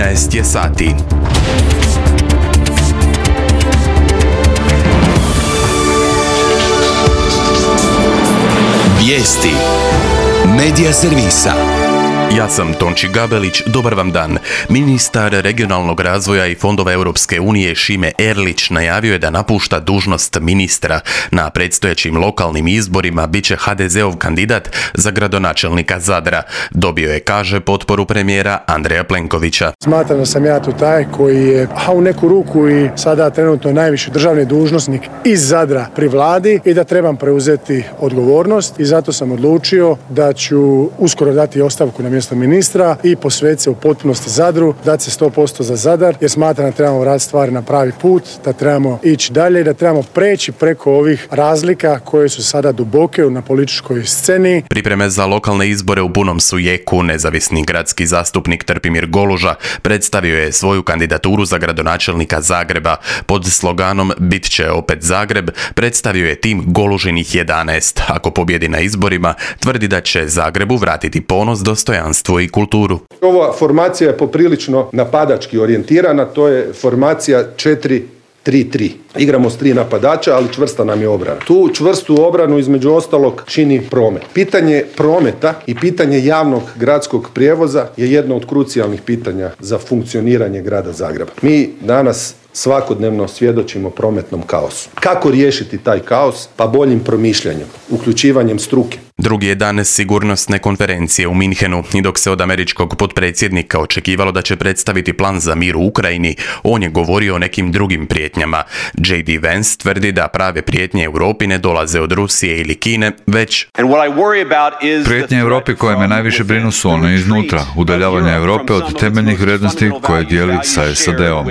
13 je sati. Vijesti Medija servisa. Ja sam Tonči Gabelić, dobar vam dan. Ministar regionalnog razvoja i fondova Europske unije Šime Erlić najavio je da napušta dužnost ministra. Na predstojećim lokalnim izborima bit će HDZ-ov kandidat za gradonačelnika Zadra. Dobio je, kaže, potporu premijera Andreja Plenkovića. Smatram da sam ja tu taj koji je, u neku ruku i sada trenutno najviši državni dužnosnik iz Zadra pri vladi i da trebam preuzeti odgovornost i zato sam odlučio da ću uskoro dati ostavku na mjesto ministra i posvetiti se u potpunosti Zadru, dati se 100% za Zadar, jer smatram da trebamo raditi stvari na pravi put, da trebamo ići dalje i da trebamo preći preko ovih razlika koje su sada duboke na političkoj sceni. Pripreme za lokalne izbore u punom su jeku. Nezavisni gradski zastupnik Trpimir Goluža predstavio je svoju kandidaturu za gradonačelnika Zagreba. Pod sloganom Bit će opet Zagreb predstavio je tim Golužinih 11. Ako pobjedi na izborima, tvrdi da će Zagrebu vratiti ponos, dostojanstvo i kulturu. Ova formacija je poprilično napadački orijentirana, to je formacija 4-3-3. Igramo s 3 napadača, ali čvrsta nam je obrana. Tu čvrstu obranu između ostalog čini promet. Pitanje prometa i pitanje javnog gradskog prijevoza je jedno od krucijalnih pitanja za funkcioniranje grada Zagreba. Mi danas svakodnevno svjedočimo prometnom kaosu. Kako riješiti taj kaos? Pa boljim promišljanjem, uključivanjem struke. Drugi je dan sigurnosne konferencije u Minhenu i dok se od američkog potpredsjednika očekivalo da će predstaviti plan za mir u Ukrajini, on je govorio o nekim drugim prijetnjama. J.D. Vance tvrdi da prave prijetnje Europi ne dolaze od Rusije ili Kine, već prijetnje Europi koje me najviše brinu su one iznutra, udaljavanje Europe od temeljnih vrijednosti koje dijeli sa SAD-om.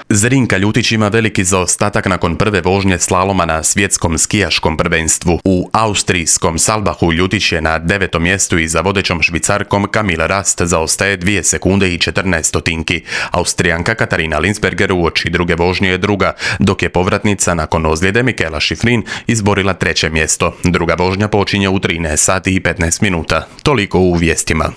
Zrinka Ljutić ima veliki zaostatak nakon prve vožnje slaloma na svjetskom skijaškom prvenstvu. U austrijskom Salbahu Ljutić je na 9. mjestu i za vodećom Švicarkom Camille Rast zaostaje 2 sekunde i 14 stotinki. Austrijanka Katarina Linsberger uoči druge vožnje je druga, dok je povratnica nakon ozljede Michaela Schifrin izborila 3. mjesto. Druga vožnja počinje u 13 sati i 15 minuta. Toliko u vijestima.